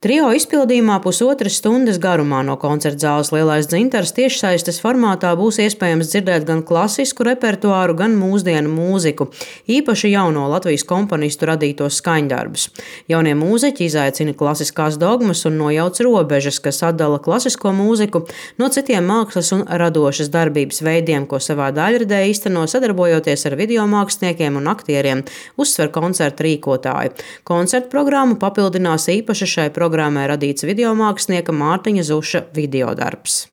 Trio izpildījumā pusotras stundas garumā no koncerta zāles Lielais dzintars tiešsaistes formātā būs iespējams dzirdēt gan klasisku repertuāru, gan mūsdienu mūziku, īpaši jauno Latvijas komponistu radītos skaņdarbus. Jaunie mūziķi izaicina klasiskās dogmas un nojauc robežas, kas atdala klasisko mūziku no citiem mākslas un radošas darbības veidiem, ko savā daļradē īsteno sadarbojoties ar videomāksliniekiem un aktieriem, uzsver koncerta rīkotāji. Koncerta programmu papildinās īpaši šai programmai radīts videomākslinieka Mārtiņa Zuša videodarbs.